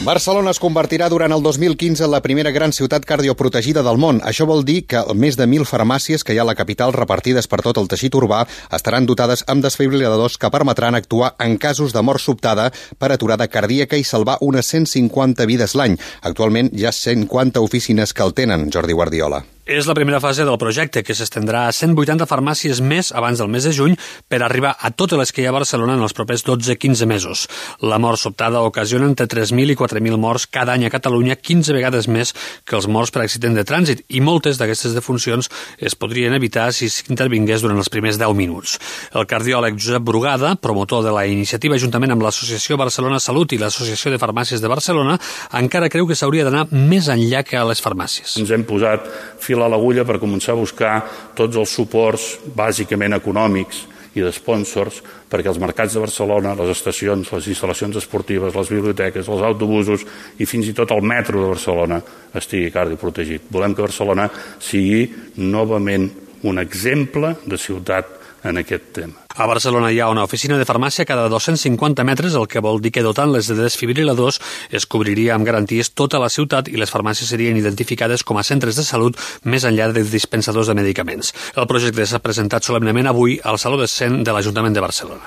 Barcelona es convertirà durant el 2015 en la primera gran ciutat cardioprotegida del món. Això vol dir que més de 1.000 farmàcies que hi ha a la capital repartides per tot el teixit urbà estaran dotades amb desfibriladors que permetran actuar en casos de mort sobtada per aturada cardíaca i salvar unes 150 vides l'any. Actualment hi ha 150 oficines que el tenen, Jordi Guardiola. És la primera fase del projecte, que s'estendrà a 180 farmàcies més abans del mes de juny per arribar a totes les que hi ha a Barcelona en els propers 12-15 mesos. La mort sobtada ocasiona entre 3.000 i 4.000 morts cada any a Catalunya, 15 vegades més que els morts per accident de trànsit, i moltes d'aquestes defuncions es podrien evitar si s'intervingués durant els primers 10 minuts. El cardiòleg Josep Brugada, promotor de la iniciativa juntament amb l'Associació Barcelona Salut i l'Associació de Farmàcies de Barcelona, encara creu que s'hauria d'anar més enllà que a les farmàcies. Ens hem posat fil a l'agulla per començar a buscar tots els suports bàsicament econòmics i de sponsors perquè els mercats de Barcelona, les estacions, les instal·lacions esportives, les biblioteques, els autobusos i fins i tot el metro de Barcelona estigui cardioprotegit. Volem que Barcelona sigui novament un exemple de ciutat en aquest tema. A Barcelona hi ha una oficina de farmàcia cada 250 metres, el que vol dir que dotant-les de desfibriladors es cobriria amb garanties tota la ciutat i les farmàcies serien identificades com a centres de salut més enllà de dispensadors de medicaments. El projecte s'ha presentat solemnement avui al Saló de Cent de l'Ajuntament de Barcelona.